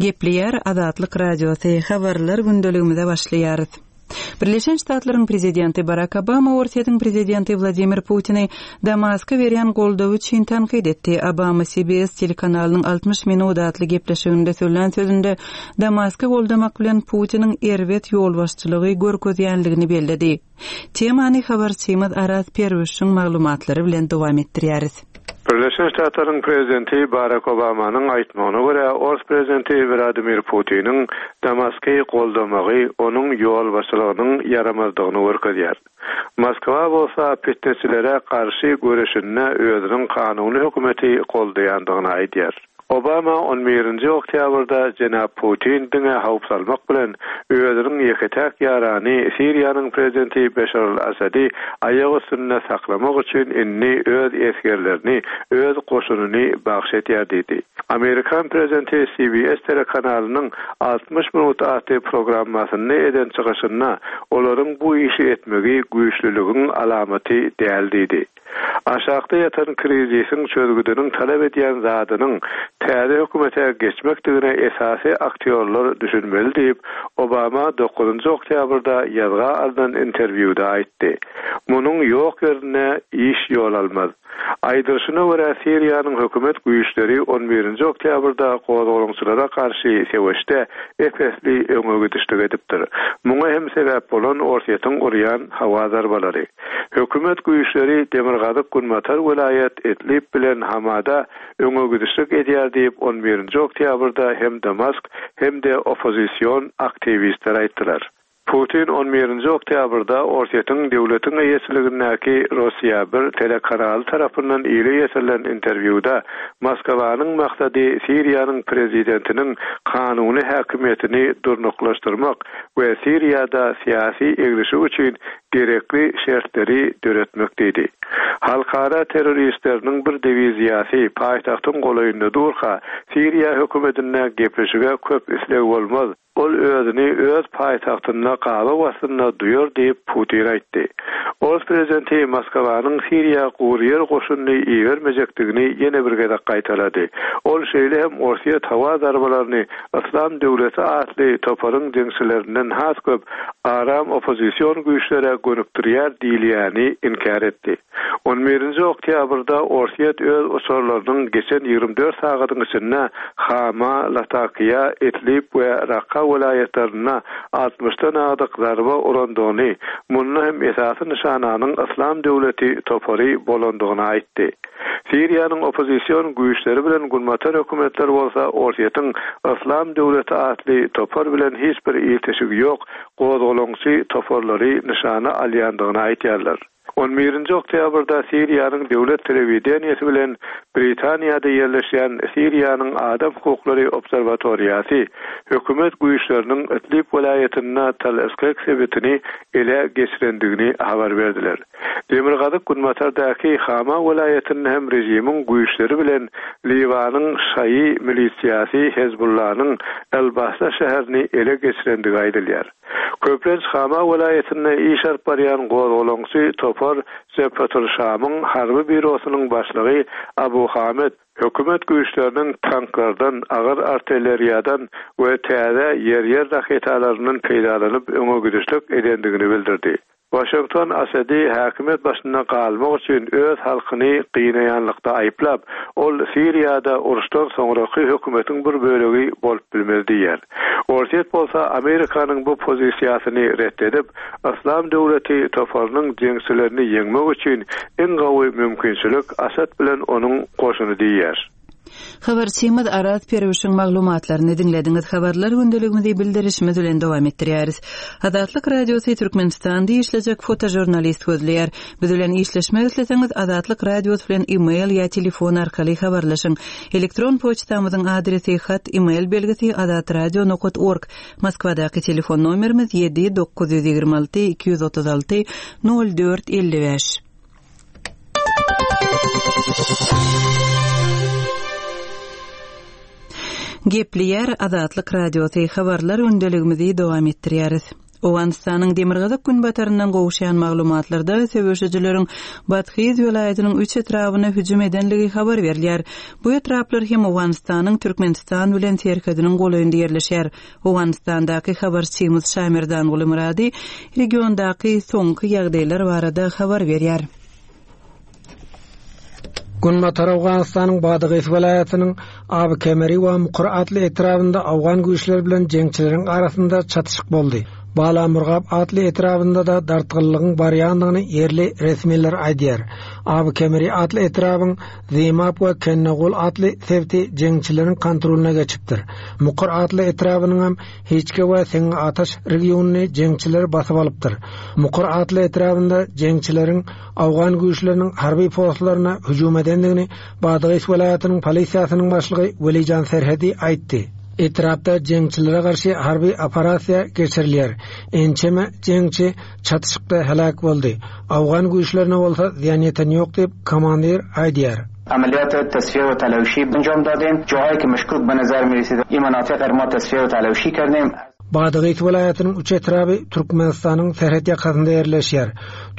Gepleýär Azatlyk Radiosy, Habarlar gündeligimize başlaýarys. Birleşen Ştatlaryň prezidenti Barak Obama Orsýetiň prezidenti Wladimir Putini Damaska berýän goldawy üçin tankyt etdi. Obama CBS telekanalynyň 60 minut atly gepleşiginde söylän sözünde Damasky goldamak bilen Putiniň erbet ýolbaşçylygy görkezýänligini belledi. Temany habarçymyz Araz Perwişiň maglumatlary bilen dowam etdirýäris. Birleşen Ştatlaryň prezidenti Barak Obamanyň aýtmagyna görä, ors prezidenti Wladimir Putiniň Damasky goldamagy onuň ýolbaşçylygynyň ýaramazdygyny görkezýär. Moskwa bolsa pitneçilere garşy göreşinde özüniň kanuny hökümeti goldaýandygyny aýdýar. Obama on birinji oktýabrda jenap Putin diňe howp salmak bilen, özüniň ýeke-täk ýarany Siriýanyň prezidenti Beşar al-Assady aýak üstünde saklamak üçin indi öz esgerlerini, öz goşunyny bagş edýär diýdi. Amerikan prezidenti CBS telekanalynyň 60 minut atly programmasynda eden çykyşynda olaryň bu işi etmegi güýçlüligiň alamaty däl diýdi. Aşakda ýatan krizisiň çözgüdiniň talap edýän zadynyň täze hökümete geçmekdigine esasy aktýorlar düşünmeli diýip, Obama dokuzynjy oktýabrda ýazga alnan interwýuda aýtdy. Munuň ýok ýerinde iş ýol almaz. Aýdylyşyna görä, Siriýanyň hökümet güýçleri on birinji oktýabrda gozgalaňçylara garşy söweşde ep-esli öňe gidişlik edipdir. Muňa hem sebäp bolan Orsýetiň urýan howa zarbalary. Hökümet güýçleri demirgazyk-günbatar welaýat Idlib bilen Hamada öňe gidişlik edýär diýip, on birinji oktýabrda hem Damask, hem-de oppozision aktiwistler aýtdylar. Putin on birinji oktýabrda Orsýetiň döwletiň eýeçiligindäki Rossiýa bir telekanaly tarapyndan ile ýetirilen interwýuda Moskwanyň maksady Siriýanyň prezidentiniň kanuny häkimiýetini durnuklaşdyrmak we Siriýada syýasy eglişik üçin gerekli şertleri döretmek diýdi. Halkara terroristleriniň bir diwiziýasy paýtagtyň golaýynda durka, Siriýa hökümetinde gepleşige köp isleg bolmaz, ol özüni öz paýtagtynda gabaw astynda duýar diýip, Putin aýtdy. Ors prezidenti Moskwanyň Siriýa guryýer goşunyny ibermejekdigini ýene bir gezek gaýtalady. Ol şeýle hem Orsýet howa zarbalaryny Yslam döwleti atly toparyň jeňçilerinden has köp aram oppozision güýçlere gönükdirýär diýilýäni inkär etdi. On birinji oktýabrda Orsýet öz uçarlarynyň geçen 24 sagadyň içinde Hama, Latakiýa, Idlib we Rakka welaýatlarynda altmyşdan agdyk zarba urandygyny, munda hem esasy nyşananyň Yslam döwleti topary bolandygyny aýtdy. Siriýanyň oppozision güýçleri bilen günbatar hökümetleri bolsa Orsýetiň Yslam döwleti atly topar bilen hiç bir ilteşigi ýok gozgalaňçy toparlary nyşana alýandygyny aýdýarlar. On birinji oktýabrda Siriýanyň döwlet telewideniýesi bilen Britaniýada ýerleşýän Siriýanyň adam hukuklary obserwatoriýasy hökümet güýçleriniň Idlib welaýatynda Tal-Eskek sebitini ele geçirendigini habar berdiler. Demirgazyk-günbatardaky Hama welaýatynda hem režimiň güýçleri bilen Liwanyň şaýy milisiýasy Hezbullanyň El-Basra şäherini ele geçirendigi aýdylýar. Köplenç Hama welaýatynda iş alyp barýan gozgalaňçy topar Jebhetul-Şamyň harby býurosynyň başlygy Abu Hamed hökümet güýçleriniň tanklardan, agyr artilleriýadan we täze ýer-ýer raketalaryndan peýdalanyp öňe gidişlik edendigini bildirdi. Waşington Asady häkimiýet başynda galmak üçin öz halkyny gynaýanlykda aýyplap, ol Siriýada uruşdan soňraky hökümetiň bir bölegi bolup bilmez diýýär. Orsýet bolsa Amerikanyň bu pozisiýasyny ret edip, Yslam döwleti toparynyň jeňçilerini ýeňmek üçin iň gowy mümkinçilik Asad bilen onuň goşuny diýýär. Habarçymyz Araz Perwişiň maglumatlaryny diňlediňiz. Habarlar gündeligimizi bildirişimiz bilen dowam etdirýäris. Azatlyk Radiosy Türkmenistanda işlejek fotožurnalist gözleýär. Biz bilen işleşmek isleseňiz Azatlyk Radiosy bilen e-mail ýa telefon arkaly habarlaşyň. Elektron poçtamyzyň adresi hat e-mail belgisi azatradio nokat org. Moskwadaky telefon nomerimiz 7 926 236 04 55. Gepleýär Azatlyk Radiosy, habarlar gündeligimizi dowam etdirýäris. Owganystanyň demirgazyk-günbataryndan gowuşýan maglumatlarda söweşijileriň Badhyz welaýatynyň üç etrabyna hüjüm edenligi habar berilýär. Bu etraplar hem Owganystanyň Türkmenistan bilen serhediniň golaýynda ýerleşýär. Owganystandaky habarçymyz Şamerdanguly Myrady regiondaky soňky ýagdaýlar barada habar berýär. Günbatar Owganystanyň Badagys welaýatynyň Aby Kemeri we Mukur atly etrabynda owgan güýçleri bilen jeňçileriň arasynda çatyşyk boldy. Bala Murgap atly etrabynda-da dartgynlygyň barýandygyny ýerli resmiler aýdýar. Aby Kemeri atly etrabyň Zymap we Kennegul atly sebiti jeňçileriň kontrolyna geçipdir. Mukur atly etrabynyňam Hiçke we Seňňi Ataş regionyny jeňçiler basyp alypdyr. Mukur atly etrabynda jeňçileriň owgan güýçleriniň harby postlaryna hüjüm edendigini Badagys welaýatynyň polisiýasynyň başlygy Welijan Serhedi aýtdy. Etrapda jeňçilere garşy harby operasiýa geçirilýär. Ençeme jeňçi çatyşykda heläk boldy. Owgan güýçlerine bolsa zyýan ýeten ýok diýip, komandir aýdýar. عملیات تصفیه و تلوشی انجام دادیم جاهایی که مشکوک به نظر می رسید این مناطق ما تصفیه و تلوشی کردیم Badagys welaýatynyň üç etraby Türkmenistanyň serhet ýakasynda ýerleşýär.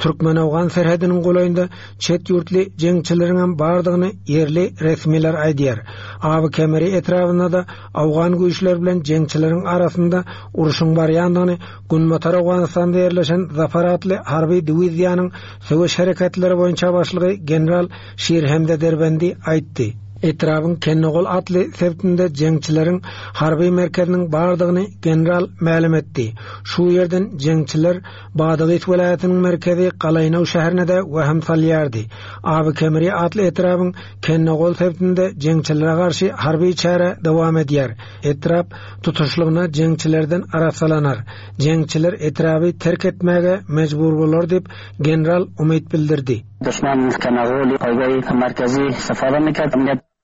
Türkmen-owgan serhediniň golaýynda çet ýurtly jeňçileriňem bardygyny ýerli resmiler aýdýar. Aby Kemeri etrabynda-da owgan güýçleri bilen jeňçileriň arasynda urşuň barýandygyny Günbatar Owganystanda ýerleşen Zafar atly harby diwiziýanyň söweş hereketleri boýunça başlygy general Şirhemze Derbendi aýtdy. Etrabyň Kennegol atly sebitinde jeňçileriň harby merkeziniň bardygyny general mälim etdi. Şu ýerden jeňçiler Badagys welaýatynyň merkezi Galaýnaw şäherine-de wehim salýardy. Aby Kemri atly etrabyň Kennegol sebitinde jeňçilere garşy harby çäre dowam edýär. Etrap tutuşlygyna jeňçilerden arassalanar. Jeňçiler etraby terk etmäge mejbur bolar diýip, general umyt bildirdi.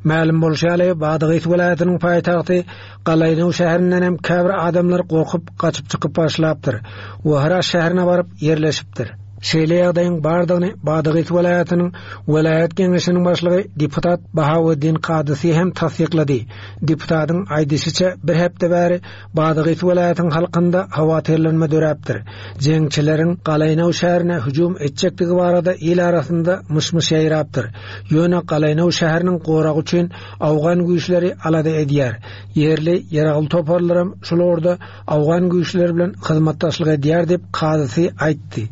Mälim bolşy ýaly, Badagys welaýatynyň paýtagty Galaýnow şäherinden hem käbir adamlar gorkup, gaçyp çykyp başlapdyr we Hyrat şäherine baryp ýerleşipdir. Şeýle ýagdaýyň bardygyny Badagys welaýatynyň welaýat geňeşiniň başlygy deputat Bahaweddin Kadysy hem tassyklady. Deputatyň aýdyşyça, bir hepde bäri Badagys welaýatyň halkynda howatyrlanma döräpdir. Jeňçileriň Galaýnaw şäherine hüjüm etjekdigi barada il arasynda myş-myş ýaýrapdyr. Ýöne Galaýnaw şäheriniň goragy üçin owgan güýçleri alada edýär. Ýerli ýaragly toparlaram şul ugurda owgan güýçleri bilen hyzmatdaşlyk edýär diýip, kazysy aýtdy.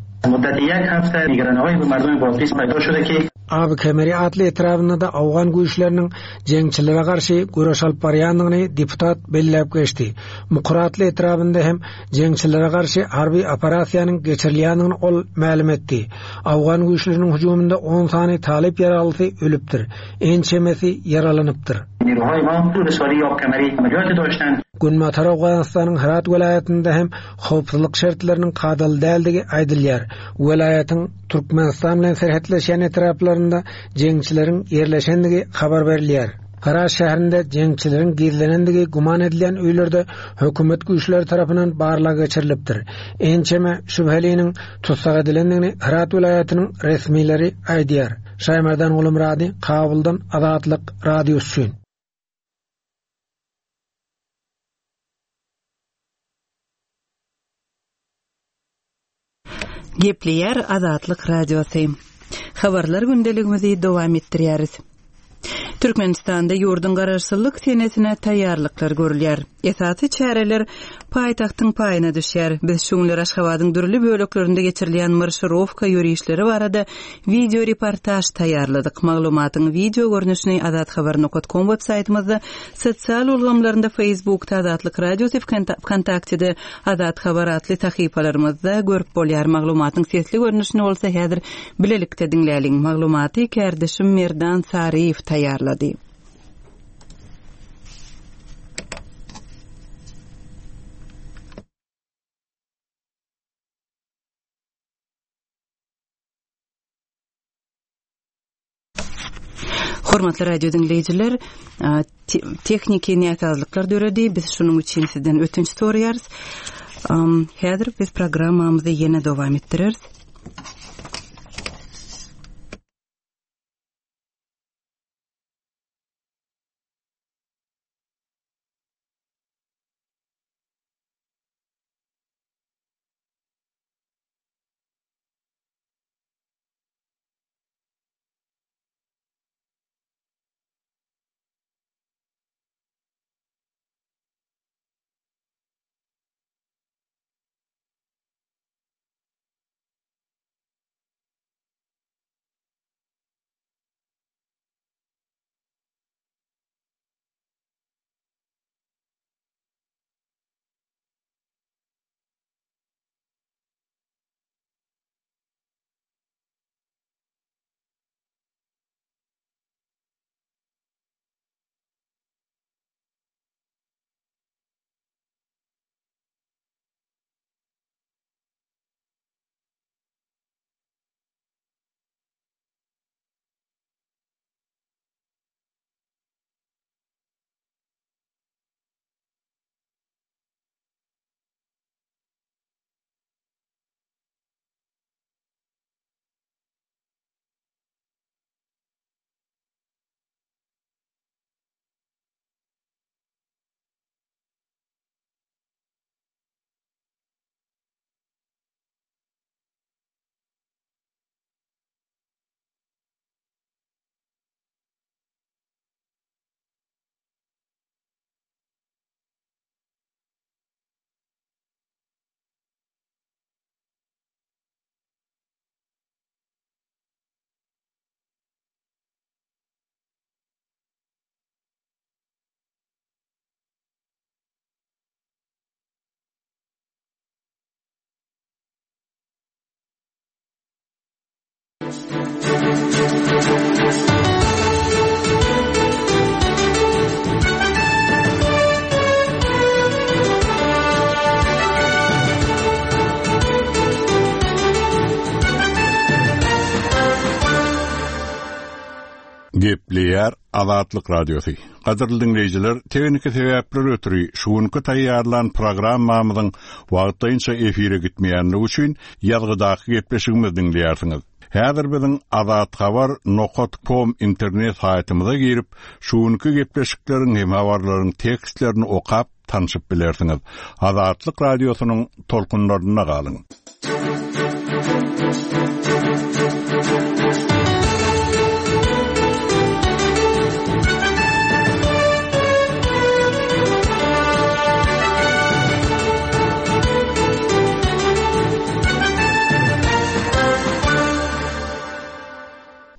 Aby Kemeri atly etrabynda-da owgan güýçleriniň jeňçilere garşy göreş alyp barýandygyny deputat belläp geçdi. Mukur atly etrabynda hem jeňçilere garşy harby operasiýanyň geçirilýändigini ol mälim etdi. Owgan güýçleriniň hüjüminde on sany talyp ýaraglysy ölüpdir, ençemesi ýaralanypdyr. Günbatar Owganystanyň Hyrat welaýatynda hem howpsuzlyk şertleriniň kadaly däldigi aýdylýar. Welaýatyň Türkmenistan bilen serhetleşýän etraplarynda jeňçileriň ýerleşendigi habar berilýär. Hyrat şäherinde jeňçileriň gizlenendigi güman edilýän öýlerde hökümet güýçleri tarapyndan barlag geçirilipdir. Ençeme şübheliniň tussag edilendigini Hyrat welaýatynyň resmileri aýdýar. Şaýmerdan Gulumyrady, Kabuldan Azatlyk Radiosy üçin. Gepleýär Azatlyk Radiosy. Habarlar gündeligimizi dowam etdirýäris. Türkmenistanda ýurduň Garaşsyzlyk senesine taýýarlyklar görülýär. Esasy çäreler paýtagtyň paýyna düşýär. Biz şu günler Aşgabadyň dürli böleklerinde geçirilýän marşirowka ýörişleri barada wideo reportaž taýýarladyk. Maglumatyň wideo görnüşini azathabar nokat kom web saýtymyzda, sosial ulgamlarynda Facebookda Azatlyk Radiosy, Wkontaktede Azat Habar atly sahypalarymyzda görüp bolýar. Maglumatyň sesli görnüşini bolsa häzir bilelikde diňläliň. Maglumaty kärdeşim Merdan Saryýew taýýarlady. Hormatly radio diňleýjiler, tehniki näsazlyklar döredi. Biz şunuň üçin sizden ötünç soraýarys. Häzir biz programmamyzy ýene dowam etdireris. Gepleýär Azatlyk Radiosy. Gadyrly diňleýjiler, tehniki sebäpler ötri şu günki taýýarlan programmamyzyň wagtlaýynça efire gitmeýänligi üçin ýazgydaky gepleşigimizi diňleýärsiňiz. Häzir biziň Azathabar nokat kom internet saýtymyza girip, şu günki gepleşikleriň hem habarlaryň tekstlerini okap, tanşyp bilersiňiz. Azatlyk Radiosynyň tolkunlarynda galyň!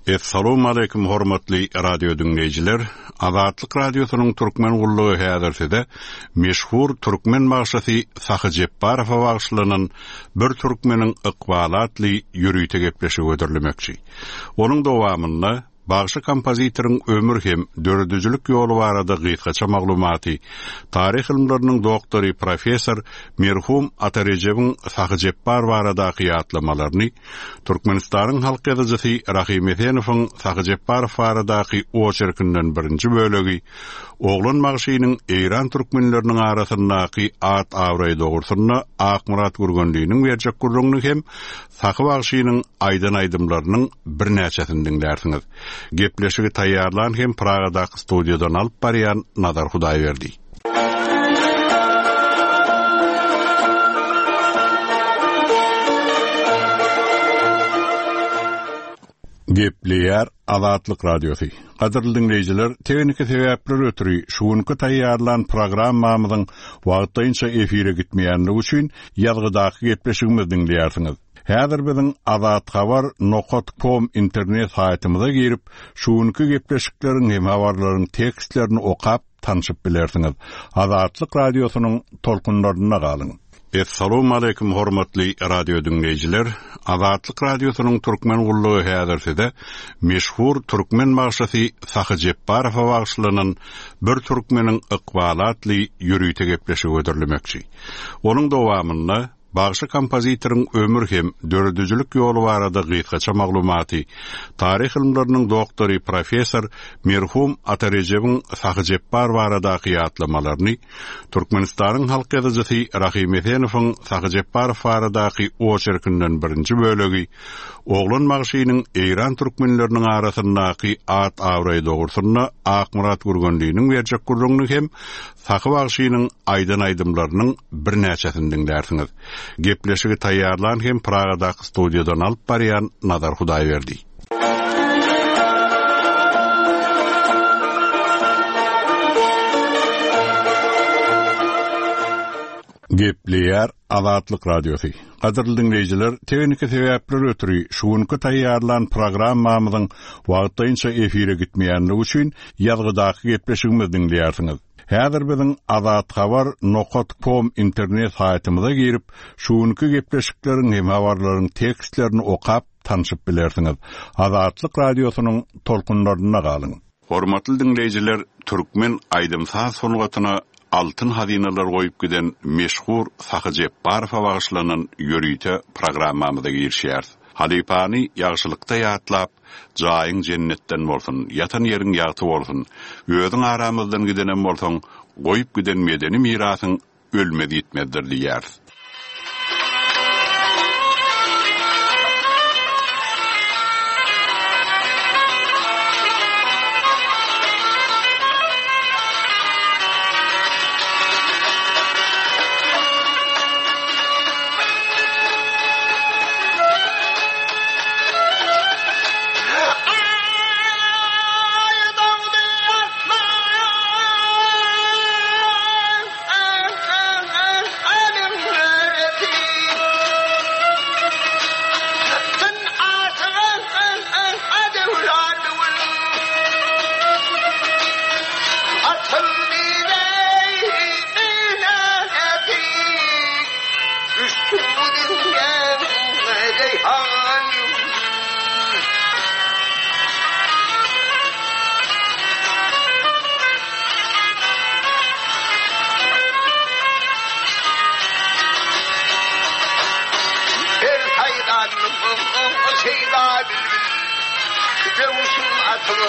Essalawmaleýkim hormatly radio diňleýjiler! Azatlyk Radiosynyň Türkmen gullugy häzir size meşhur türkmen bagşysy Sahy Jepbarowa bagyşlanan Bir türkmeniň ykbaly atly ýörite gepleşigi hödürlemekçi. Onuň dowamynda bagşy kompozitoryň ömür hem döredijilik ýoly barada gysgaça maglumaty, taryh ylymlarynyň doktory, professor merhum Ata Rejebiň Sahy Jepbar baradaky ýatlamalaryny, Türkmenistanyň halk ýazyjysy Rahym Esenowyň Sahy Jepbarow baradaky oçerkinden birinji bölegi, Oglan bagşynyň Eýran türkmenleriniň arasyndaky at-abraýy dogrusynda Akmyrat Gürgenliniň berjek gürrüňini hem Sahy bagşynyň aýdan aýdymlarynyň birnäçesini diňlärsiňiz. Gepleşigi taýýarlan hem Pragadaky studiýadan alyp barýan Nazar Hudaýberdi. Gepleýär Azatlyk Radiosy. Gadyrly diňleýjiler, tehniki sebäpler ötri şu günki taýýarlan programmamyzyň wagtlaýynça efire gitmeýänligi üçin ýazgydaky gepleşigimizi diňleýärsiňiz. Häzir biziň Azathabar nokat kom internet saýtymyza girip, şu günki gepleşikleriň hem habarlaryň tekstlerini okap, tanşyp bilersiňiz. Azatlyk Radiosynyň tolkunlarynda galyň! Essalawmaleýkim hormatly radio diňleýjiler! Azatlyk Radiosynyň Türkmen gullugy häzir size meşhur türkmen bagşysy Sahy Jepbarowa bagyşlanan Bir türkmeniň ykbaly atly ýörite gepleşigi hödürlemekçi. Onuň dowamynda Bagşy kompozitoryň ömür hem döredijilik ýoly barada gysgaça maglumaty, taryh ylymlarynyň doktory, professor merhum Ata Rejebiň Sahy Jepbar baradaky ýatlamalaryny, Türkmenistanyň halk ýazyjysy Rahym Esenowyň Sahy Jepbarow baradaky oçerkinden birinji bölegi, Oglan bagşynyň Eýran türkmenleriniň arasyndaky at-abraýy dogrusynda Akmyrat Gürgenliniň berjek gürrüňini hem Sahy bagşynyň aýdan aýdymlarynyň birnäçesini diňlärsiňiz. Gepleşigi taýýarlan hem Pragadaky studiýadan alyp barýan Nazar Hudaýberdi. Gepleýär Azatlyk Radiosy. Gadyrly diňleýjiler, tehniki sebäpler ötri şu günki taýýarlan programmamyzyň wagtlaýynça efire gitmeýänligi üçin ýazgydaky gepleşigimizi diňleýärsiňiz. Häzir biziň Azathabar nokat kom internet saýtymyza girip, şu günki gepleşikleriň hem habarlaryň tekstlerini okap, tanşyp bilersiňiz. Azatlyk Radiosynyň tolkunlarynda galyň! Hormatly diňleýjiler, türkmen aýdym-saz sungatyna altyn hazynalar goýup giden meşhur Sahy Jepbarowa bagyşlanan ýörite programmamyza girişýäris. Halypany ýagşylykda ýatlap, jaýyň jennetden bolsun, ýatan ýeriň ýagty bolsun, özüň aramyzdan gidenem bolsaň, goýup giden medeni mirasyň ölmez-ýitmezdir diýýäris. şeýda bilbil Döwüşiň atyň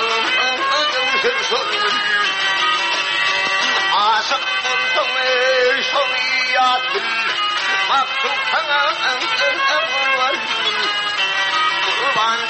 döwüşer şol gün Aşyk bolsaň eý şony ýat bil Maksut saňa gurban Gurban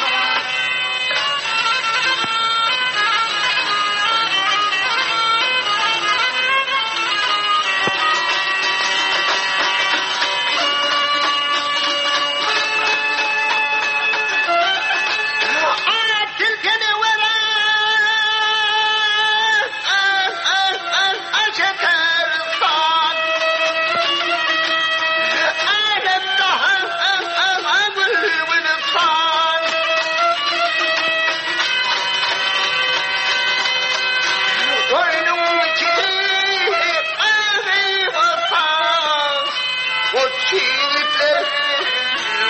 Goç ýigitler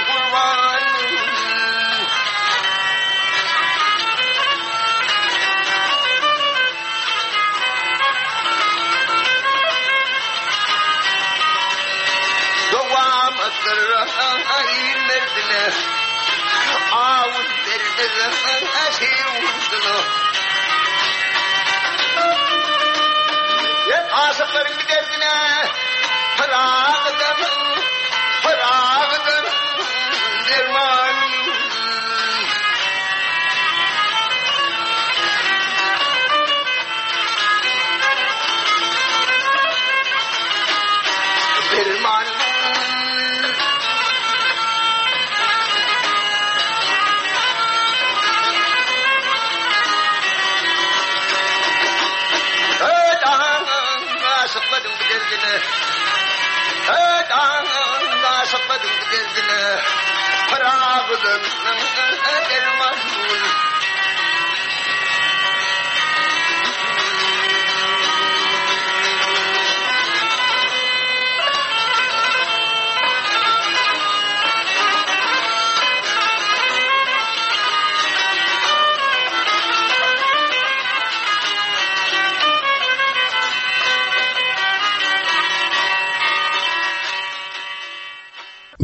gurban. Dowamatdyr il merdine, Awun bermez şir gurduna. Aşyklaryň bir derdine Pyragydan, Pyragydan derman. Derman. Aşyklaryň bir derdine Aşyklaryň bir derdine Pyragydan derman.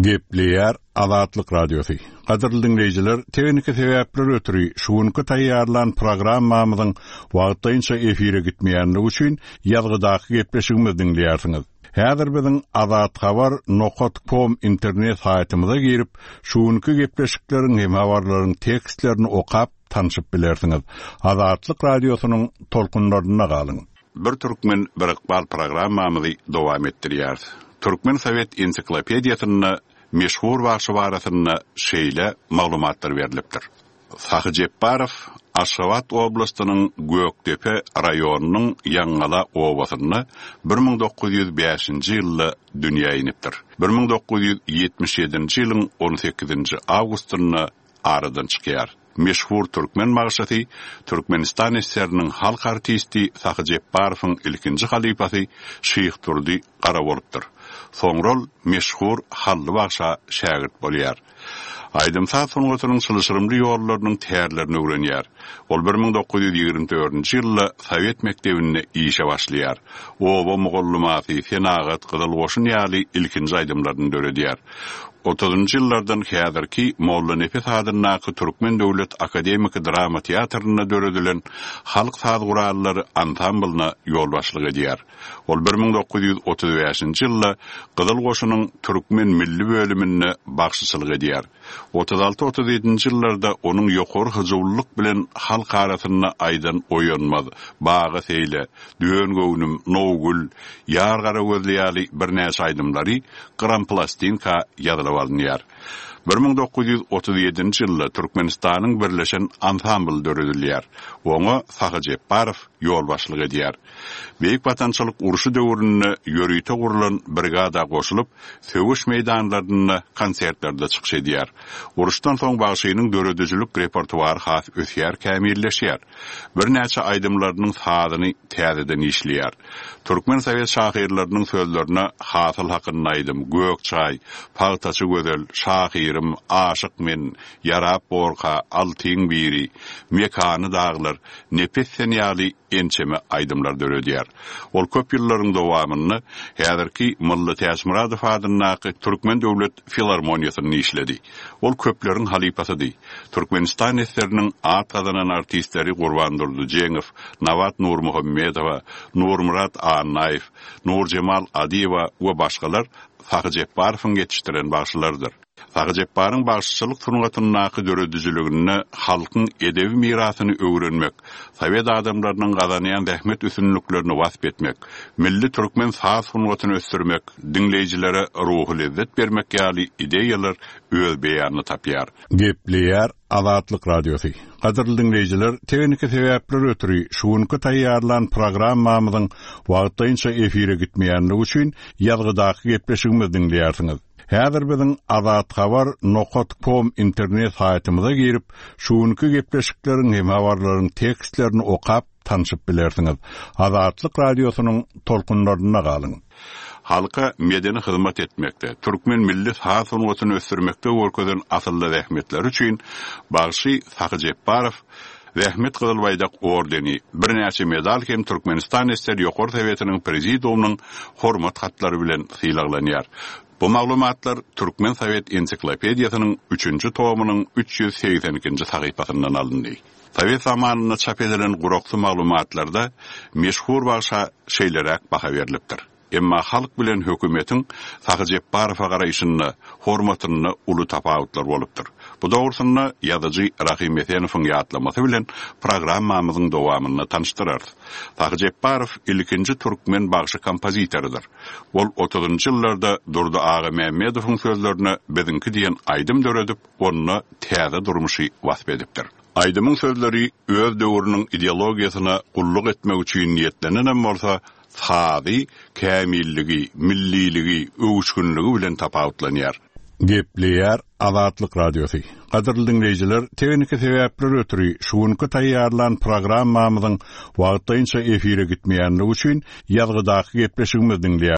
Gepleýär Azatlyk Radiosy. Gadyrly diňleýjiler, tehniki sebäpler ötri şu günki taýýarlan programmamyzyň wagtlaýynça efire gitmeýänligi üçin ýazgydaky gepleşigimizi diňleýärsiňiz. Häzir biziň azathabar nokat kom internet saýtymyza girip, şu günki gepleşikleriň hem habarlaryň tekstlerini okap, tanşyp bilersiňiz. Azatlyk Radiosynyň tolkunlarynda galyň! Bir türkmen, bir ykbal programmamyzy dowam etdirýäris. Türkmen sowet ensiklopediýasynda meşhur bagşy barasynda şeýle maglumatlar berlipdir. Sahy Jepbarow Aşgabat oblastynyň Gökdepe raýonynyň Ýaňgala obasynda 1905-nji ýylda dünýä inipdir. 1977-nji ýylyň on sekizinji awgustynda aradan çykýar. Meşhur türkmen bagşysy, Türkmenistan SSR-niň halk artisti Sahy Jepbarowyň ilkinji halypasy Şyhdurdy Gara bolupdyr. Soňra ol meşhur Hally bagşa şägirt bolýar. Aýdym-saz sungatynyň çylşyrymly ýollarynyň tärlerini öwrenýär. Ol 1924-nji ýylda sowet mekdebinde işe başlaýar. Oba mugallymasy, Senagat, Gyzyl goşun ýaly ilkinji aýdymlaryny döredýär. Otuzynjy ýyllardan häzirki Mollanepes adyndaky Türkmen döwlet akademiki drama teatrynda döredilen halk saz gurallary ansamblyna ýolbaşçylyk edýär. Ol 1935-nji ýylda Gyzyl Goşunyň türkmen milli bölüminde bagşyçylyk edýär. Otuz alty-otuz ýedinji ýyllarda onuň ýokary hyjuwlylyk bilen halk arasynda aýdan Oýanmaz, Baga seýle, Dön göwnüm, Nowgül, Ýar gara gözli ýaly birnäçe aýdymlary gramplastinka ýazylyp alynýar. 1937-nji ýylda Türkmenistanyň birleşen ansambly döredilýär. Oňa Sahy Jepbarow ýolbaşçylyk edýär. Beýik Watançylyk urşy döwründe ýörite gurlan brigada goşulyp, söweş meýdanlarynda konsertlerde çykyş edýär. Uruşdan soň bagşynyň döredijilik repertuary has ösýär, kämilleşýär. Birnäçe aýdymlarynyň sazyny täzeden işleýär. Türkmen sowet şahyrlarynyň sözlerine Hasyl hakynda aýdym, Gök çaý, Pagtaçy gözel, Şahyra. Şahyrym, Aşyk men, Ýarap borka, Altyň biri, Mekany daglar, Nepes sen ýaly ençeme aýdymlar döredýär. Ol köp ýyllaryň dowamynda häzirki Mylly Täçmyradow adyndaky Türkmen döwlet filarmoniýasynda işledi. Ol köpleriň halypasydy. Türkmenistan esseriniň at gazanan artistleri Gurbandurdy Jeňow, Nabat Nurmuhammedowa, Nurmyrat Annaýew, Nurjemal Adyýewa we başgalar Sahy Jepbarowyň ýetişdiren bagşylarydyr. Sahy Jepbaryň bagşyçylyk sungatyndaky döredijiliginde halkyň edebi mirasyny öwrenmek, sowet adamlarynyň gazanýan zähmet üstünliklerini wasp etmek, milli türkmen saz sungatyny ösdürmek, diňleýjilere ruhy lezzet bermek ýaly ideýalar öz beýanyny tapýar. Gepleýär Azatlyk Radiosy. Gadyrly diňleýjiler, tehniki sebäpler ötri şu günki taýýarlan programmamyzyň wagtlaýynça efire gitmeýänligi üçin ýazgydaky gepleşigimizi diňleýärsiňiz. Häzir biziň azathabar nokat kom internet saýtymyza girip, şu günki gepleşikleriň hem habarlaryň tekstlerini okap, tanşyp bilersiňiz. Azatlyk Radiosynyň tolkunlarynda galyň! Halka medeni hyzmat etmekde, türkmen milli saz sungatyny ösdürmekde görkezen asylly zähmetleri üçin bagşy Sahy Jepbarow Zähmet Gyzyl Baýdak ordeni, birnäçe medal hem Türkmenistan SSR Ýokary Sowetiniň Prezidiumynyň Hormat hatlary bilen sylaglanýar. Bu maglumatlar Türkmen sowet ensiklopediýasynyň üçünji tomynyň 382-nji sahypasyndan alyndy. Sowet zamanynda çap edilen guraksy maglumatlarda meşhur bagşa şeýleräk baha berlipdir. Emma halk bilen hökümetiň Sahy Jepbarowa garaýşynda, hormatynda uly tapawutlar bolupdyr. Bu dogrusynda ýazyjy Rahym Esenowyň ýatlamasy bilen programmamyzyň dowamynda tanyşdyrarys. Sahy Jepbarow ilkinji türkmen bagşy-kompozitorydyr. Ol otuzynjy ýyllarda Durdy Agamämmedowyň sözlerine Biziňki diýen aýdym döredip, onda täze durmuşy wasp edipdir. Aýdymyň sözleri öz döwrüniň ideologiýasyna gulluk etmek üçin niýetlenenem bolsa, sazy kämilligi, milliligi, öwüşginligi bilen tapawutlanýar. Gepleýär Azatlyk Radiosy. Gadyrly diňleýjiler, tehniki sebäpler ötri şu günki taýýarlan programmamyzyň wagtlaýynça efire gitmeýänligi üçin ýazgydaky gepleşigimizi diňleýär.